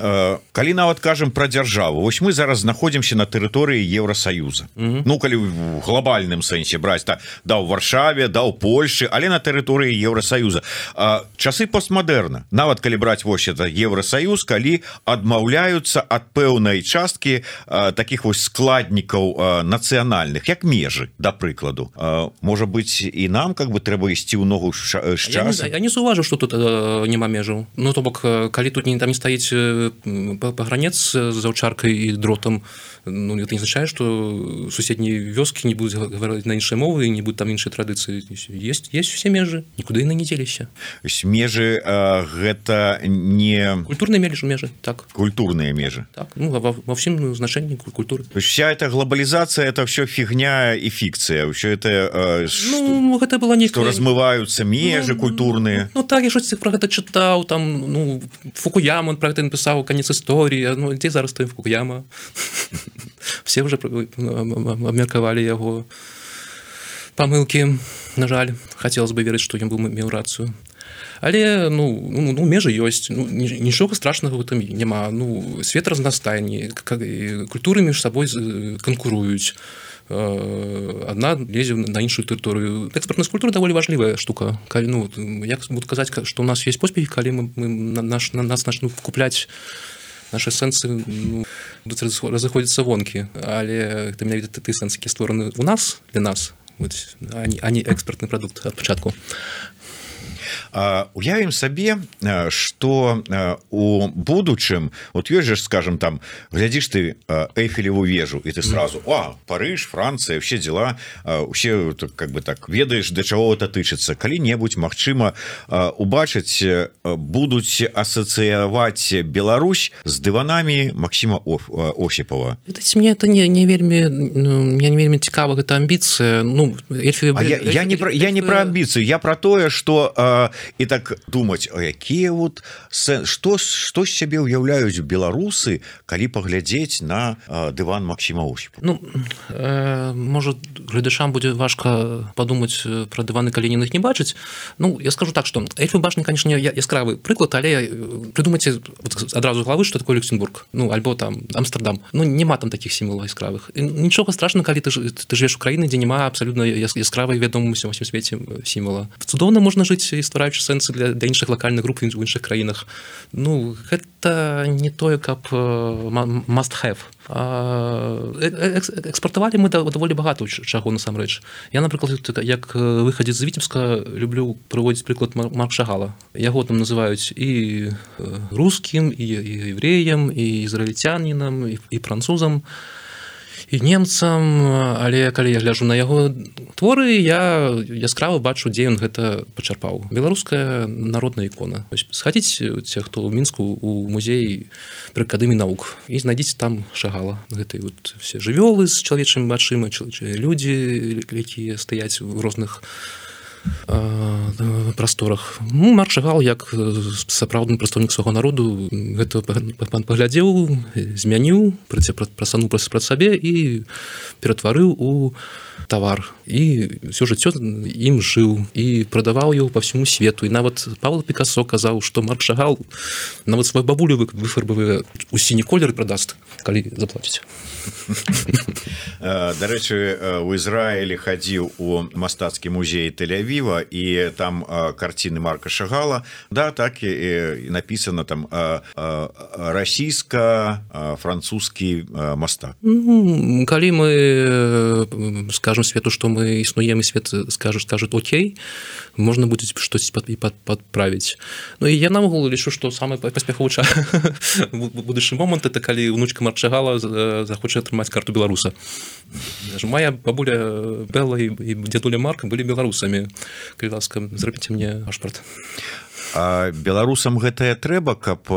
Калі нават кажа про дзяржаву, вось мы зараз знаходзімся на тэрыторыі Еўрасаюза. Mm-hmm. Ну калі в глобальным сэнсе браць, да, да ў Варшаве, да ў Польшы, але на тэрыторыі Еўрасаюза. А, часы постмадэрна, нават калі браць вось это Еўрасаюз, калі адмаўляюцца ад пэўнай часткі а, таких вось складнікаў а, нацыянальных, як межы, да прыкладу. А, можа быць і нам как бы трэба ісці ў ногу з часам. Я, я не заўважу, што тут а, няма межаў. Ну то бок, калі тут не там не стаіць пагранец з аўчаркай і дротам, ну, это не означает, что суседнія вёскі не будуць гаварыць на іншай мовы і не будуць там іншай традыцыі. Есть, есть все межы, нікуды яны не дзеліся. Межы э, гэта не... Культурныя межы, межы, так. Культурныя межы. Так, ну, во, во всем значении культуры. То есть вся эта глобализация, это все фигня и фикция. Все это... Э, ну, что, это было не... Что размываются межи ну, культурные. Ну, так, я что-то про это читал, там, ну, Фукуяма, он про это написал, конец истории. Ну, где зараз стоит Фукуяма? Все уже обмерковали его помылки. На жаль, хотелось бы верить, что ён быў меў рацыю. Але ну, ну, ну межы ёсць, ну, нічога страшнага в этом няма. Ну, свет разнастайны, культуры між сабой канкуруюць. Одна лезе на іншую тэрыторыю. Экспартная культура даволі важлівая штука. Калі, ну, як буду казаць, што ў нас ёсць поспехі, калі мы, мы наш, на нас начнут купляць наши сэнсы, ну, разыходзяцца вонкі, але это менавіта ты сэнсы, які створаны у нас для нас, а не, а не экспартны прадукт ад пачатку. Уявім сабе, што у будучым, вот ёсць же, скажем, там глядзіш ты Эйфелеву вежу і ты сразу: а, Париж, Франция, все дела, усе как бы так ведаеш, да чаго это тычыцца. Калі-небудзь, магчыма, убачыць будуць асацыяваць Беларусь з дыванамі Максима Осипова. Мне это не, не вельмі, мне не вельмі цікава гэта амбіцыя. Ну, Эльфі... я, я, не про, я не про амбіцыю, я про тое, што і так думаць, а якія вот што што з сябе ўяўляюць беларусы, калі паглядзець на дыван Максима Осипова? Ну, э, можа, гледачам будзе важка падумаць пра дываны, калі яны іх не бачаць. Ну, я скажу так, што Эльфі башня, конечно, яскравы прыклад, але прыдумайце адразу главы, што такое Люксембург, ну, альбо там Амстердам. Ну, няма там такіх сімвалаў яскравых. І нічога страшнага, калі ты, ты жывеш у краіны, дзе няма абсалютна яскравай вядомым усім свеце сімвала. Цудоўна можна жыць, ствараючы сэнсы для, для іншых лакальных груп у іншых краінах. Ну, гэта не тое, каб must have. Экспартавалі мы даволі багата чаго насамрэч. Я, напрыклад, як выхадзец з Віцебска, люблю прыводзіць прыклад Марка Шагала. Яго там называюць і рускім, і евреем, і ізраільцянінам, і, і французам, і немцам, але калі я гляджу на яго творы, я яскрава бачу, дзе ён гэта пачарпаў. Беларуская народная ікона. Схадзіце, ці хто ў Мінску у музей пры акадэміі навук і знайдзіце там Шагала. Гэты вот все жывёлы з чалавечымі вачыма, людзі, якія стаяць у розных прасторах. Ну, Марк Шагал, як сапраўдны прадстаўнік свайго народу, гэта паглядзеў, змяніў, прасануў праз сабе і ператварыў у тавар. І ўсё жыццё ім жыў і прадаваў яго па всему свету. І нават Павел Пікасо казаў, што Марк Шагал нават свою бабулю выфарбавае у сіні колер і прадаст, калі заплаціць. Дарэчы, у Ізраілі хадзіў у мастацкі музей Тель-Авіва, і там карціны Марка Шагала, да, так і написано там расійска-французскі мастак. Калі мы скажем свету, што мы існуем, і свет скажа, скажет окей, можна будзе штось падправіць. Ну і я наогул лічу, што самы паспяховы будучы момант это калі унучка Марка Шагала захоча атрымаць карту беларуса. Моя бабуля Белла і дзядуля Марка былі беларусамі. Калі ласка, зрабіце мне пашпарт. А беларусам гэтае трэба, каб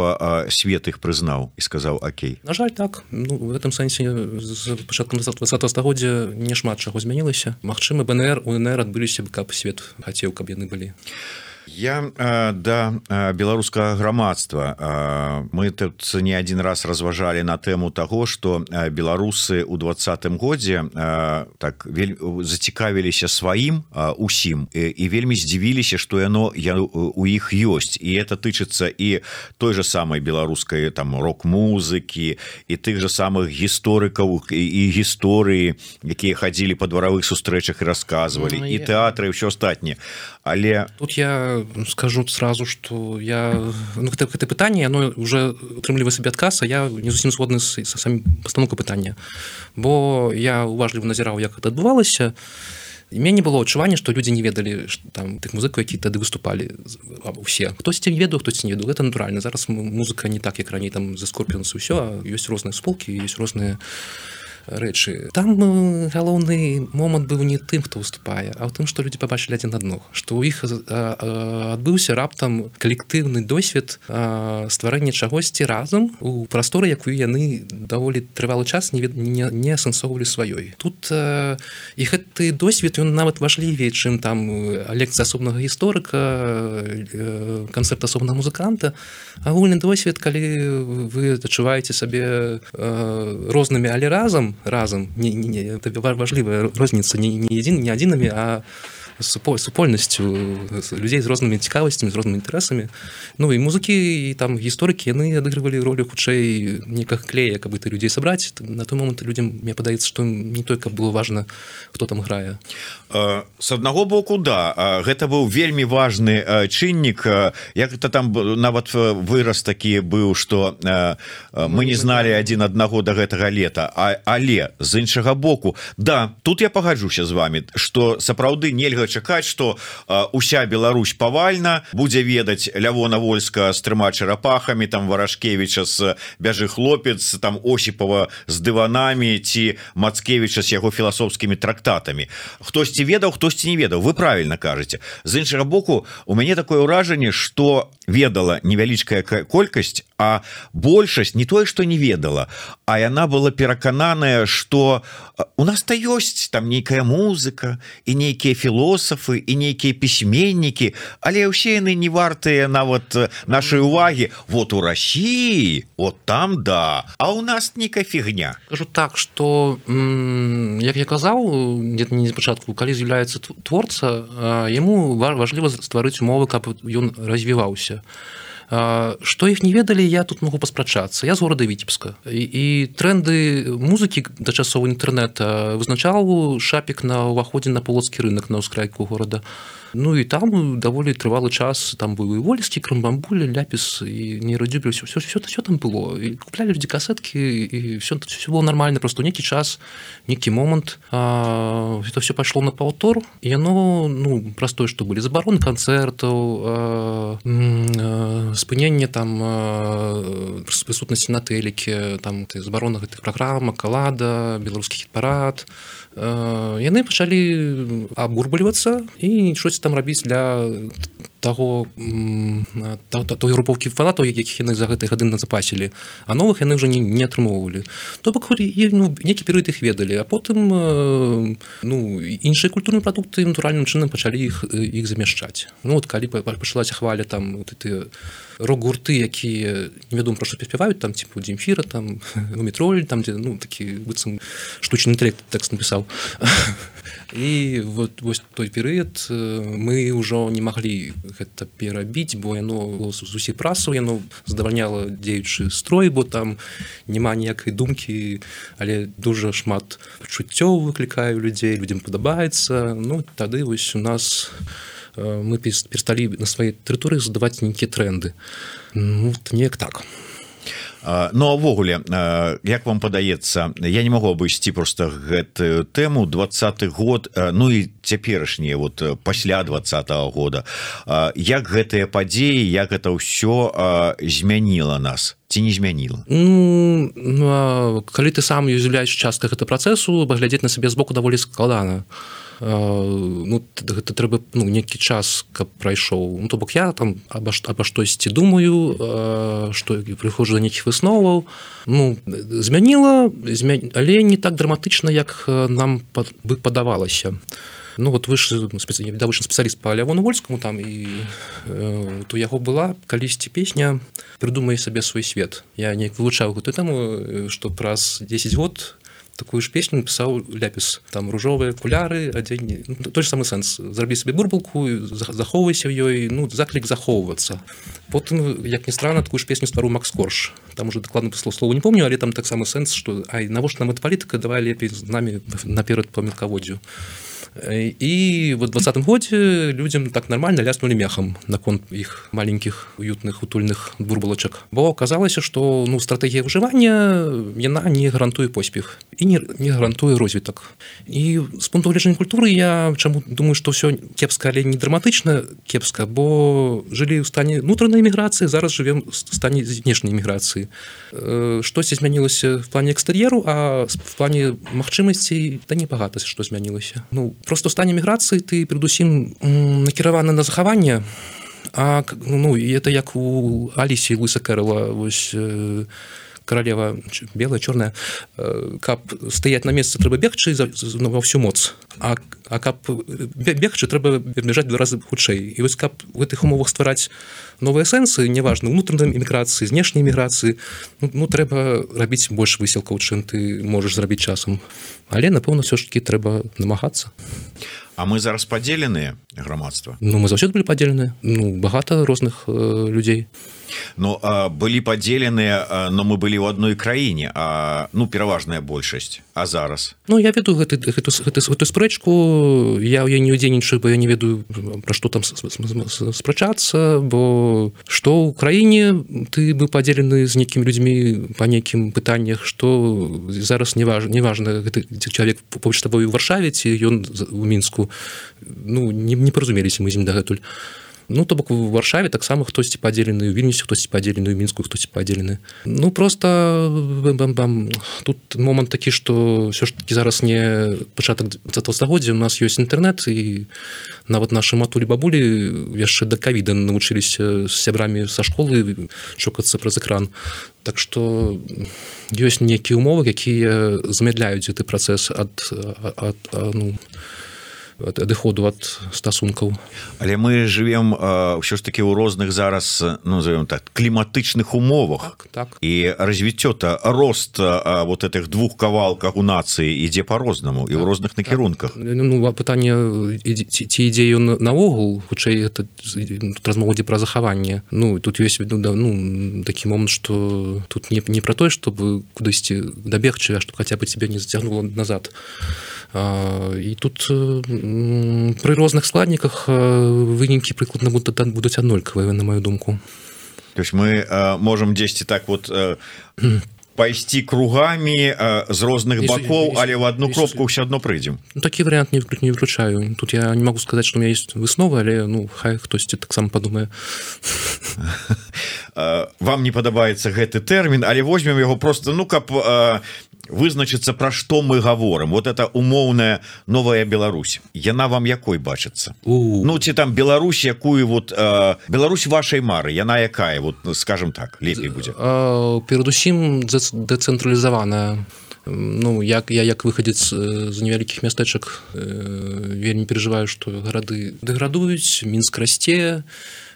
свет іх прызнаў і сказаў окей? На жаль, так. Ну, в гэтым сэнсе з пачаткам двадцатага стагоддзя не шмат чаго змянілася. Магчыма, БНР, УНР адбыліся б, каб свет хацеў, каб яны былі. Я э, да э, беларускага грамадства э, мы тут не один раз разважалі на тэму таго, што э, беларусы ў двадцатым годзе э, так вель... зацікавіліся сваім э, усім і, і вельмі здзівіліся, што яно я, у іх ёсць, і это тычыцца і той же самай беларускай там рок-музыкі, і тых же самых гісторыкаў і, і гісторыі, якія хадзілі па дваравых сустрэчах і расказвалі, ну, і я... тэатры і ўсё астатняе. Але тут я скажу сразу, что я ну, это, это пытанне, оно уже атрымлівае сабе адказ, а я не зусім згодны з самім пастаноўкай пытання, бо я уважліва назіраў, як это адбывалася. і мяне было адчуванне, што людзі не ведалі там тых музыкаў, які тады выступалі усе. Хтосьці не ведаў, хтосьці не ведаў, гэта натуральна. Зараз музыка не так, як раней там за Скорпіонс і ўсё, а ёсць розныя сполкі, ёсць розныя рэчы. Там галоўны момант быў не тым, хто выступае, а ў тым, што людзі пабачылі адзін аднаго, што ў іх адбыўся раптам калектыўны досвед стварэння чагосьці разам у прасторы, якую яны даволі трывалы час не, не, не асэнсоўвалі сваёй. Тут і гэты досвед, ён нават важлівей, чым там лекцыя асобнага гісторыка, канцэпт асобнага музыканта. Агульны досвед, калі вы адчуваеце сабе рознымі, але разам разам не, не, не, это важливая розніца не, не, адзін, не адзінамі, а супольнасцю людзей з рознымі цікавасцямі, з рознымі інтарэсамі. Ну і музыкі і там гісторыкі, яны адыгрывалі ролю хутчэй некага клея, каб ты людзей сабраць. На той момант людзям, мне падаецца, што не толькі было важна, хто там грае. С аднаго боку, да, гэта быў вельмі важны чыннік. Як это там нават выраз такі быў, што мы не зналі адзін аднаго да гэтага лета, але з іншага боку, да, тут я пагаджуся з вами, што сапраўды нельга чакаць, што уся Беларусь павальна будзе ведаць Лявона Вольска з трыма чарапахамі, там Варашкевіча з Бяжы хлопец, там Осіпова з дыванамі ці Мацкевіча з яго філасофскімі трактатамі. Хтосьці ведаў, хтосьці не ведаў. Вы правильно кажаце. З іншага боку, у мяне такое ўражанне, што ведала невялічкая колькасць, а большасць не тое, што не ведала, а яна была перакананая, што у нас-то ёсць там нейкая музыка і нейкія філосафы і нейкія пісьменнікі, але ўсе яны не вартыя нават нашай увагі. Вот у России, вот там да, а у нас нейкая фігня. Кажу так, што як я казаў, где-то не спачатку, калі з'яўляецца творца, яму важліва стварыць умовы, каб ён развіваўся. Што іх не ведалі, я тут могу паспрачацца. Я з горада Віцебска. І, і тренды музыкі да часоў інтэрнэта вызначаў шапік на ўваходзе на полацкі рынок на ўскрайку горада. Ну і там даволі трывалы час, там быў і Вольскі, Крамбамбуля, Ляпіс і Нейрадзюбель, все, все, все, все там было. І куплялі людзі касеткі, і все, все было нормально, просто нейкі час, нейкі момант. А, это все пайшло на паўтор, і яно, ну, простое, што былі забароны канцэртаў, а, а, спыненне там а, прысутнасці на тэліке, там забарона гэтых праграм, Калада, беларускі хіт-парад. А, яны пачалі абурбалівацца і щось там рабіць для таго той групоўкі фанатаў, якіх яны за гэтыя гады назапасілі, а новых яны ўжо не, не атрымоўвалі. То бок ну, нейкі перыяд іх ведалі, а потым ну, іншыя культурныя прадукты натуральным чынам пачалі іх, іх замяшчаць. Ну вот калі пачалася хваля там вот эти рок-гурты, якія невядома пра што спяваюць, там типу Дзімфіра, там Мумітроль, там дзе ну такі быццам штучны інтэлект тэкст напісаў. І вот вось той перыяд мы ўжо не маглі гэта перабіць, бо яно з усіх прасаў, яно задавальняла дзеючы строй, бо там няма ніякай думкі, але дужа шмат пачуццёў выклікае людзей, людзям падабаецца. Ну тады вось у нас мы перасталі на сваёй тэрыторыі задаваць нейкія тренды. Ну неяк так. Ну, а ввогуле, як вам падаецца, я не магу абысці проста гэтую тэму, двадцаты год, ну і цяперашнія, вот пасля двадцатага года, як гэтыя падзеі, як гэта ўсё змяніла нас? Ці не змяніла? Ну, калі ты сам з'яўляеш часткай гэтага працэсу, паглядзець на сябе збоку даволі складана. Ну, гэта трэба ну, нейкі час, каб прайшоў. Ну, то бок я там аба, аба штосьці думаю, што прыходжу да нейкіх высноваў. Ну, змяніла, змя... але не так драматычна, як нам бы падавалася. Ну, вот вы ж давольны спецыяліст па Лявону Вольскаму там, і э, то яго была калісьці песня «Прыдумай сабе свой свет». Я неяк вылучаў гэтую тэму, што праз дзесяць год такую ж песню напісаў Ляпіс. Там ружовыя акуляры, адзенне. Ну, той ж самы сэнс. Зрабі сабе бурбалку, захоўвайся ў ёй, ну, заклік захоўвацца. Потым, як ні странна, такую ж песню стварыў Макс Корж. Там уже дакладна слова не помню, але там таксама сэнс, што ай, навошта нам эта палітыка, давай лепей з намі наперад па мелкаводдзю. И в двадцатым годзе людям так нормально ляснули мехам наконт іх маленькіх уютных утульных бурбалачак, бо аказалася, што ну стратэгія выжывання яна не гарантуе поспех і не, не гарантуе розвітак. І з пункту гледжання культуры я чаму думаю, што ўсё кепска, але не драматычна кепска, бо жылі ў стане унутранай эміграцыі, зараз жывем в стане знешняй эміграцыі. Штосьці змянілася в плане экстэр'еру, а в плане магчымасцей да небагата што змянілася. Ну просто в стане міграцыі ты перадусім накіраваны на захаванне, а ну і это як у Алісі Луіса Кэрола, вось каралева белая, чорная, каб стаяць на месцы трэба бегчы ва ўсю моц, а, а каб бегчы трэба бежаць два разы хутчэй. І вось каб у гэтых умовах ствараць новыя сэнсы, неважна, унутранай эміграцыі, знешняй эміграцыі, ну, ну трэба рабіць больш высілкаў, чым ты можаш зрабіць часам. Але, напэўна, ўсё ж такі трэба намагацца. А мы зараз падзеленыя грамадства? Ну, мы заўсёды былі падзеленыя. Ну, багата розных э, людзей. Ну, а, былі падзеленыя, но мы былі ў адной краіне, а, ну, пераважная большасць. А зараз? Ну, я веду гэты, гэту, гэту, гэту спрэчку, я ў яе не ўдзельнічаю, бо я не ведаю, пра што там спрачацца, бо што ў краіне ты быў падзелены з нейкімі людзьмі па нейкім пытаннях, што зараз не важна, не важна, гэты чалавек побач з табою ў Варшаве ці ён у Мінску, ну, не, не паразумеліся мы з ім дагэтуль. Ну, то бок у Варшаве таксама хтосьці падзелены, у Вільнюсе хтосьці падзелены, у Мінску хтосьці падзелены. Ну, просто бам-бам-бам. Тут момант такі, што ўсё ж такі зараз не пачатак двадцатага стагоддзя, у нас ёсць інтэрнэт, і нават нашы матулі-бабулі яшчэ да ковіда навучыліся з сябрамі са школы чокацца праз экран. Так што ёсць нейкія ўмовы, якія замядляюць гэты працэс ад, ад, ад ну, адыходу ад стасункаў. Але мы жывем ўсё ж такі ў розных зараз, ну, назовем так, кліматычных умовах. Так, так. І развіццё-то, рост а, вот этих двух кавалках у нацыі ідзе по-рознаму і ў розных накірунках. Так. Ну, пытанне, ці, ці ідзе ён наогул, хутчэй это размова ідзе пра захаванне. Ну, тут ёсць ну, такі момант, што тут не, не пра тое, чтобы кудысьці дабегчы, а што хаця бы цябе не зацягнуло назад. А, і тут пры розных складніках вынікі прыкладна будуць аднолькавыя, на маю думку. То есть мы а, можем дзесьці так вот а, пайсці кругамі а, з розных бакоў, але ў одну кропку ўсё адно прыйдзем. Ну, такі варыянт не, не выключаю. Тут я не могу сказаць, што у меня есть высновы, але ну хай хтосьці таксама падумае. Вам не падабаецца гэты тэрмін, але возьмем яго просто, ну каб а, вызначыцца, пра што мы гаворым. Вот это умоўная новая Беларусь. Яна вам якой бачыцца? У. Ну ці там Беларусь, якую вот а, Беларусь вашай мары, яна якая, вот скажем так, лепей будзе. Перадусім дэцэнтралізаваная. Ну, як я як выхадзец з невялікіх мястэчак вельмі перажываю, што гарады дэградуюць, Мінск расце.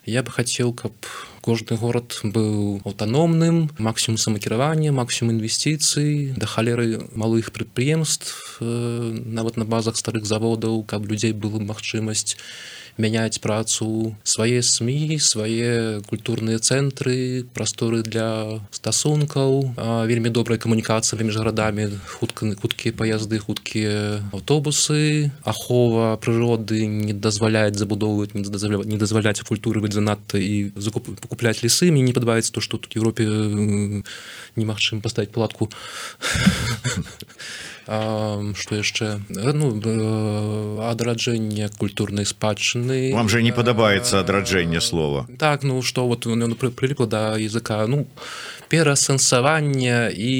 Я бы хацеў, каб кожны горад быў аўтаномным, максімум самакіравання, максімум інвестыцый, да халеры малых прадпрыемств, нават на базах старых заводаў, каб людзей была магчымасць мяняць працу, свае СМІ, свае культурныя цэнтры, прасторы для стасункаў, вельмі добрая камунікацыя паміж гарадамі, хуткія паязды, хуткія аўтобусы, ахова прыроды не дазваляць забудоўваць, не дазваляць культуры быць занадта і пакупляць лесы. Мне не падабаецца то, што тут у Европе немагчыма паставіць палатку. А, што яшчэ? Ну, адраджэнне культурнай спадчыны. Вам же не падабаецца адраджэнне слова. Так, ну што вот оно прыліпла да языка. Ну, перасэнсаванне і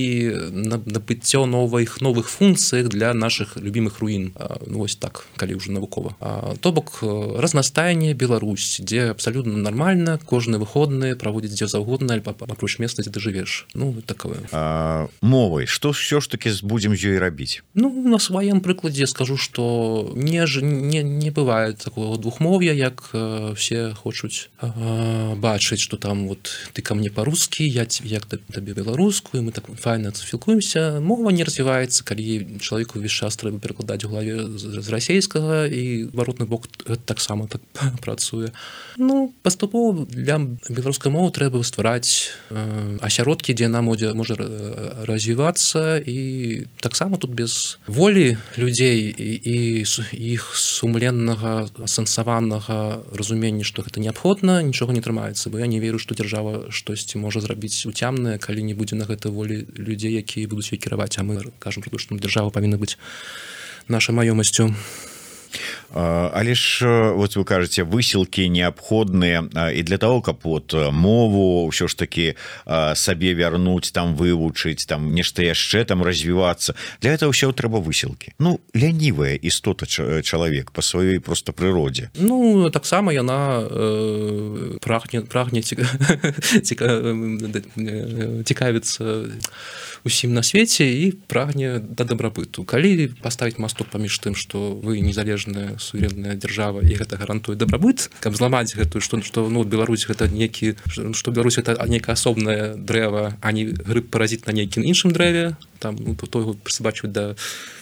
набыццё новых новых функцыях для нашых любімых руін. Ну, вось так, калі ўжо навукова. То бок разнастайне Беларусь, дзе абсалютна нармальна, кожны выходны праводзіць дзе заўгодна, альбо апроч месца, дзе ты жывеш. Ну, такое. А, мовай, што ўсё ж такі будзем з ёй рабіць? Ну, на сваім прыкладзе скажу, што не, не, не бывае такого двухмов'я, як э, все хочуць э, бачыць, што там вот ты ко мне по-русски, я, я, табе беларускую, мы так файна спілкуемся, мова не развіваецца, калі чалавеку ўвесь час трэба перакладаць у галаве з расейскага, і варотны бок таксама так працуе. Ну, паступова для беларускай мовы трэба ствараць э, асяродкі, дзе яна можа, можа развівацца, і таксама тут без волі людзей і, і іх сумленнага, асэнсаванага разумення, што гэта неабходна, нічога не трымаецца, бо я не веру, што дзяржава штосьці можа зрабіць уцямнае, калі не будзе на гэта волі людзей, якія будуць ёй кіраваць, а мы кажам пра то, што дзяржава павінна быць нашай маёмасцю. Але ж вот вы кажаце, высілкі неабходныя і для того, каб вот мову ўсё ж таки сабе вярнуць, там вывучыць, там нешта яшчэ там развівацца. Для этого ўсё трэба высілкі. Ну, лянівая істота чалавек па сваёй просто прыродзе. Ну, таксама яна э, прагне, прагне цікавіцца усім на свеце і прагне да дабрабыту. Калі паставіць масток паміж тым, што вы незалежная суверенная дзяржава і гэта гарантуе дабрабыт, каб зламаць гэтую, што, што ну, Беларусь гэта некі, што Беларусь гэта нейкае асобнае дрэва, а не грыб паразіт на нейкім іншым дрэве, там, ну, то, то яго прысабачваць да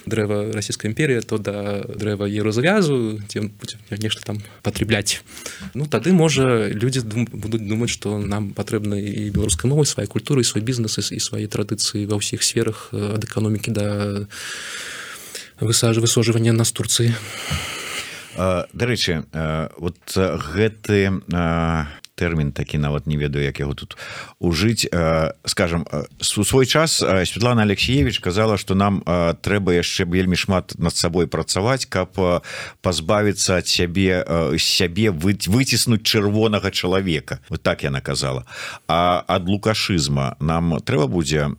дрэва расійскай імперіі, то да дрэва еўразавязу, дзе будзе нешта там патрабляць. Ну, тады, можа, людзі дум, будуць думаць, што нам патрэбна і беларускай мовы, свае культуры, і свой бізнес, і свае традыцыі ва ўсіх сферах, ад эканомікі да высажвання нас Турцыі. Дарэчы, вот гэты тэрмін такі, нават не ведаю, як яго тут ужыць, скажем, у свой час Святлана Алексеевич казала, што нам трэба яшчэ вельмі шмат над сабой працаваць, каб пазбавіцца ад сябе сябе выціснуць чырвонага чалавека, вот так яна казала. А ад лукашызма нам трэба будзе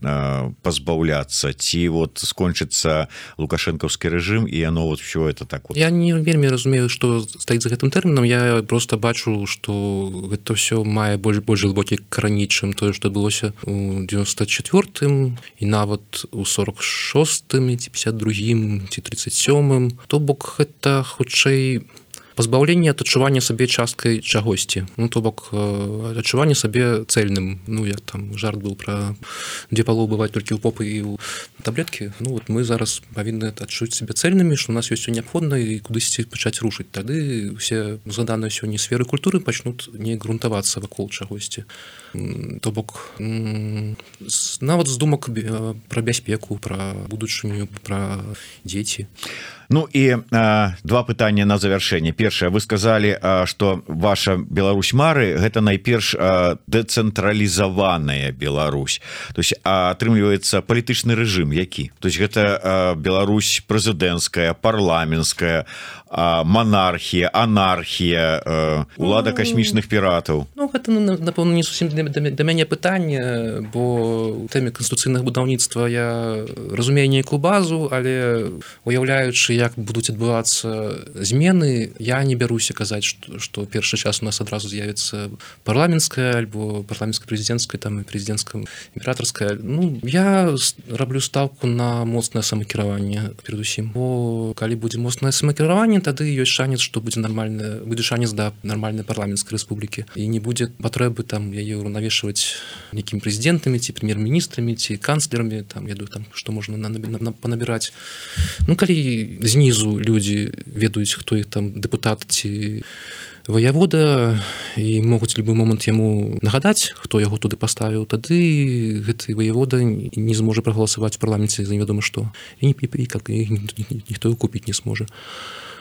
пазбаўляцца, ці вот скончыцца лукашэнкаўскі рэжым і яно вот все это так вот. Я не вельмі разумею, што стаіць за гэтым тэрмінам, я просто бачу, што гэта ўсё мае больш больш глыбокі карані, чым тое, што адбылося у девяносто четвёртым і нават у сорок шостым ці пятьдесят другім ці тридцать сёмым. То бок гэта хутчэй пазбаўленне ад адчування сабе часткай чагосьці. Ну, то бок адчуванне сабе цэльным. Ну, як там жарт быў пра дзе палоў бываць толькі ў попы і ў таблеткі. Ну, вот мы зараз павінны адчуць сябе цэльнымі, што у нас ёсць усё неабходна і кудысьці пачаць рушыць. Тады ўсе згаданыя сёння сферы культуры пачнуць не грунтавацца вакол чагосьці. То бок нават з думак пра бяспеку, пра будучыню, пра дзеці. Ну і а, два пытання на завяршэнне. Першае, вы сказалі, а, што ваша Беларусь мары гэта найперш а, дэцэнтралізаваная Беларусь. То есть атрымліваецца палітычны рэжым які? То есть гэта а, Беларусь прэзідэнцкая, парламенцкая, а, манархія, анархія, а, улада касмічных піратаў. Ну, гэта, напэўна, не зусім да мяне пытанне, бо у тэме канстытуцыйнага будаўніцтва я разумею нейкую базу, але уяўляючы, як будуць адбывацца змены, я не бяруся казаць, што, што першы час у нас адразу з'явіцца парламенцкая альбо парламенцка-прэзідэнцкая, там і прэзідэнцкая імператарская. Ну, я раблю стаўку на моцнае самакіраванне перадусім. Бо калі будзе моцнае самакіраванне, тады ёсць шанец, што будзе нармальна, будзе шанец да нармальнай парламенцкай рэспублікі. І не будзе патрэбы там яе ўраўнавешваць нейкімі прэзідэнтамі ці прэм'ер-міністрамі ці канцлерамі, там я думаю, там што можна панабіраць. Ну, калі знізу людзі ведаюць, хто іх там дэпутат ці ваявода і могуць любы момант яму нагадаць, хто яго туды паставіў, тады гэты ваявода не зможа прагаласаваць у парламенце за невядома што. І, і, і, і, і ніхто яго купіць не зможа.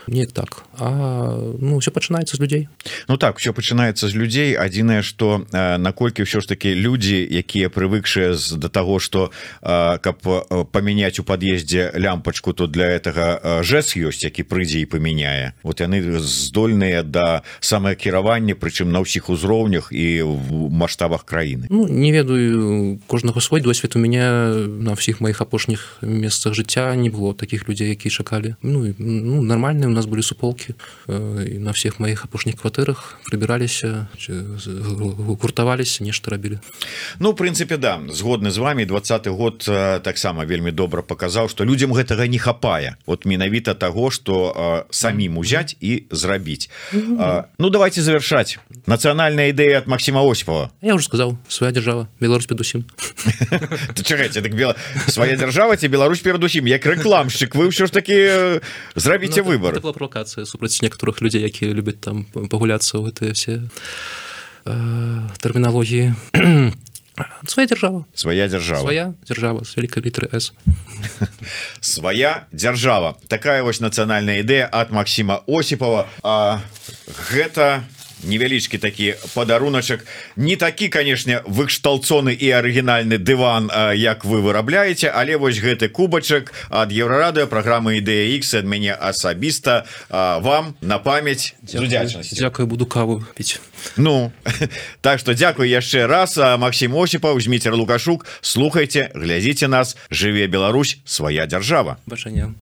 Неяк так. А ну, ўсё пачынаецца з людзей. Ну так, ўсё пачынаецца з людзей. Адзінае, што э, наколькі ўсё ж такі людзі, якія прывыкшыя да таго, што э, каб памяняць у пад'ездзе лямпачку, то для гэтага жэс ёсць, які прыйдзе і памяняе. Вот яны здольныя да самакіравання, прычым на ўсіх узроўнях і в маштабах краіны. Ну, не ведаю, кожнага свой досвед. У мяне на ўсіх маіх апошніх месцах жыцця не было такіх людзей, якія чакалі. Ну, ну нормальны нас были суполки, і на всех моих апошніх кватэрах прыбіраліся, гуртаваліся, нешта рабілі. Ну, в прынцыпе, да, згодны з вами. Двадцаты год таксама вельмі добра паказаў, што людзям гэтага не хапае. Вот менавіта таго, што самім узяць і зрабіць. Mm-hmm. Ну, давайте завершаць. Нацыянальная ідэя ад Максима Осіпова. Я уже сказаў, свая дзяржава, Беларусь перадусім. Чакайце, так бела... свая дзяржава ці Беларусь перадусім, як рэкламшчык, вы ўсё ж такі зрабіце ну, выбор. Это была правокацыя супраць некаторых людзей, якія любяць там пагуляцца ў гэтыя все э, тэрміналогіі. Свая дзяржава. Свая дзяржава. Свая дзяржава з вялікай літары С. Свая дзяржава. Такая вось нацыянальная ідэя ад Максима Осіпова. А гэта невялічкі такі падаруначак, не такі, канешне, выкшталцоны і арыгінальны дыван, як вы вырабляеце, але вось гэты кубачак ад Еўрарадыё, праграмы Ідэя Ікс, ад мяне асабіста вам на памяць з удзячнасцю. Дзякую, буду каву піць. Ну, так што дзякуй яшчэ раз. Максим Осіпаў, Зміцер Лукашук, слухайце, глядзіце нас. Жыве Беларусь, свая дзяржава. Бачання.